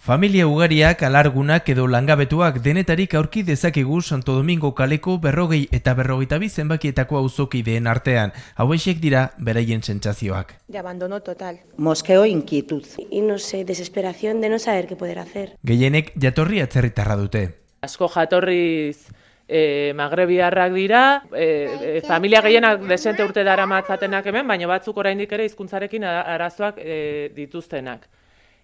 Familia ugariak, alargunak edo langabetuak denetarik aurki dezakegu Santo Domingo kaleko 40 eta 42 zenbakietako auzokideen artean. Hauexek dira beraien sentsazioak. De abandono total. Mosqueo e inquietud. Y no sé, desesperación de no saber qué poder hacer. Gehienek jatorri atzerritarra dute. Asko jatorriz magrebiarrak dira, familia gehienak desente urte daramatzatenak hemen, baina batzuk oraindik ere hizkuntzarekin arazoak dituztenak.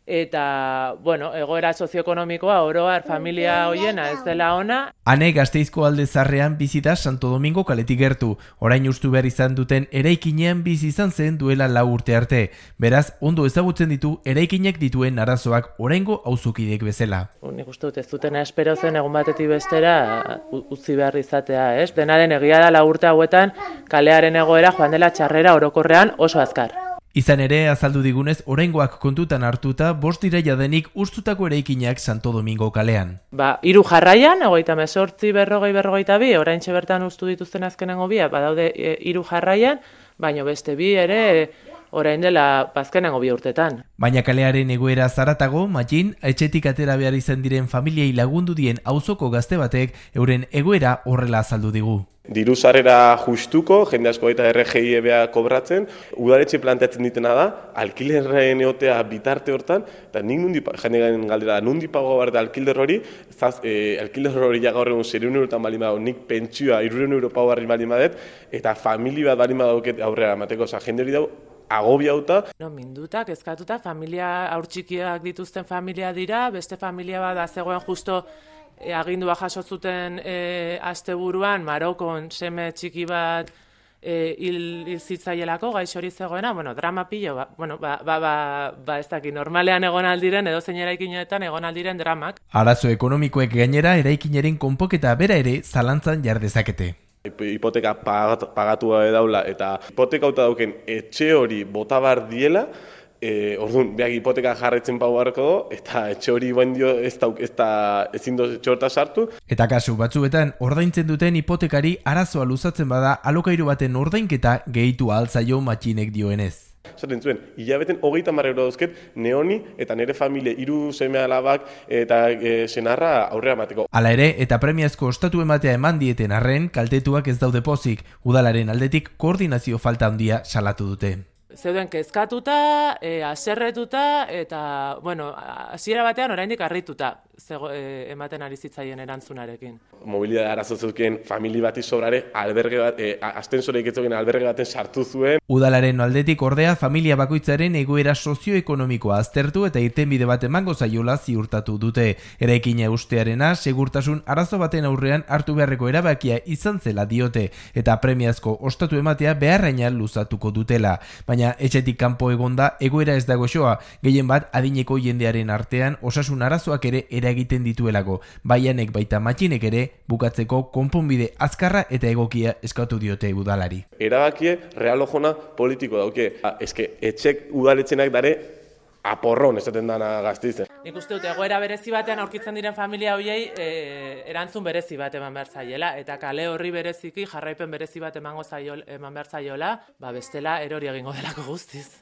Eta, egoera sozioekonomikoa oro har familia hoiena ez dela ona. Ane Gasteizko alde zarrean bizi da Santo Domingo kaletik gertu. Orain ustu behar izan duten eraikinean bizi izan zen duela 4 urte arte. Beraz, ondo ezagutzen ditu eraikinek dituen arazoak oraingo auzokidek bezala. Nik uste dut ez dutena espero zen egun batetik bestera utzi behar izatea, ez? Dena den egia da 4 urte hauetan kalearen egoera joan dela txarrera orokorrean oso azkar. Izan ere, azaldu digunez, oraingoak kontutan hartuta, 5 iraila denik ustutako eraikinak Santo Domingo kalean. 3 jarraian, 38, 40, 42, oraintxe bertan ustu dituzten azkenengo biak, badaude 3 jarraian, baina beste 2 ere orain dela azkenengo 2 urtetan. Baina kalearen egoera zaratago, Matxin, etxetik atera behar izan diren familiei lagundu dien auzoko gazte batek euren egoera horrela azaldu digu. Diru sarrera justuko, jende asko eta RGI ebea kobratzen, udaletxe planteatzen ditena da, alkilerren egotea bitarte hortan, eta nik jende garen galdera, nundi pago behar da alkiler hori, alkiler hori gaur egun 600 eurotan balin badago, nik pentsioa 300 euro pago barri balin badet, eta famili bat balin badauket aurrera emateko, jende hori dago, agobiauta. Minduta, kezkatuta, familia haurtxikiak dituzten familia dira, beste familia bat zegoen justo agindua jaso zuten asteburuan Marokon seme txiki bat hil zitzaielako gaixo hori zegoena, drama pilo, ez dakit, normalean egon aldiren, edo zein eraikinetan egon aldiren dramak. Arazo ekonomikoek gainera eraikinaren konpoketa bera ere zalantzan jar dezakete. Hipoteka pagatua daula eta hipoteka hauta dauken etxe hori bota bar diela, orduan, behak hipoteka jarretzen pau beharko do, eta etxe hori bain dio ezin do etxe horta sartu. Eta kasu batzuetan, ordaintzen duten hipotekari arazoa luzatzen bada alokairu baten ordainketa gehitu ahaltzaio Matxinek dioenez. Zaten zuen, hilabeten 30 euro dauzket neoni eta nire familie 3 seme alabak eta senarra aurrera emateko. Hala ere, eta premiazko ostatu ematea eman dieten arren, kaltetuak ez daude pozik, udalaren aldetik koordinazio falta handia salatu dute. Zeuden kezkatuta, haserretuta eta, hasiera batean oraindik harrituta ematen ari zitzaien erantzunarekin. Mobilidade arazo zeuken famili bati sobrare alberge bat, astensoreik ez zeuken alberge baten sartu zuen. Udalaren aldetik ordea familia bakoitzaren egoera sozioekonomikoa aztertu eta irtenbide bat emango zaiola ziurtatu dute. Eraikina ustearena segurtasun arazo baten aurrean hartu beharreko erabakia izan zela diote eta premiazko ostatu ematea beharraina luzatuko dutela. Baina etxetik kanpo egonda egoera ez dago xoa, gehien bat adineko jendearen artean osasun arazoak ere eragiten dituelako, baianek baita Matxinek ere bukatzeko konponbide azkarra eta egokia eskatu diote udalari. Erabakie realojona politiko dauke, etxek udaletxenak dare aporron esaten dana Gasteizen. Nik uste dut egoera berezi batean aurkitzen diren familia hoiei erantzun berezi bat eman behar zaiela, eta kale horri bereziki jarraipen berezi bat eman behar zaiola, bestela erori egingo delako guztiz.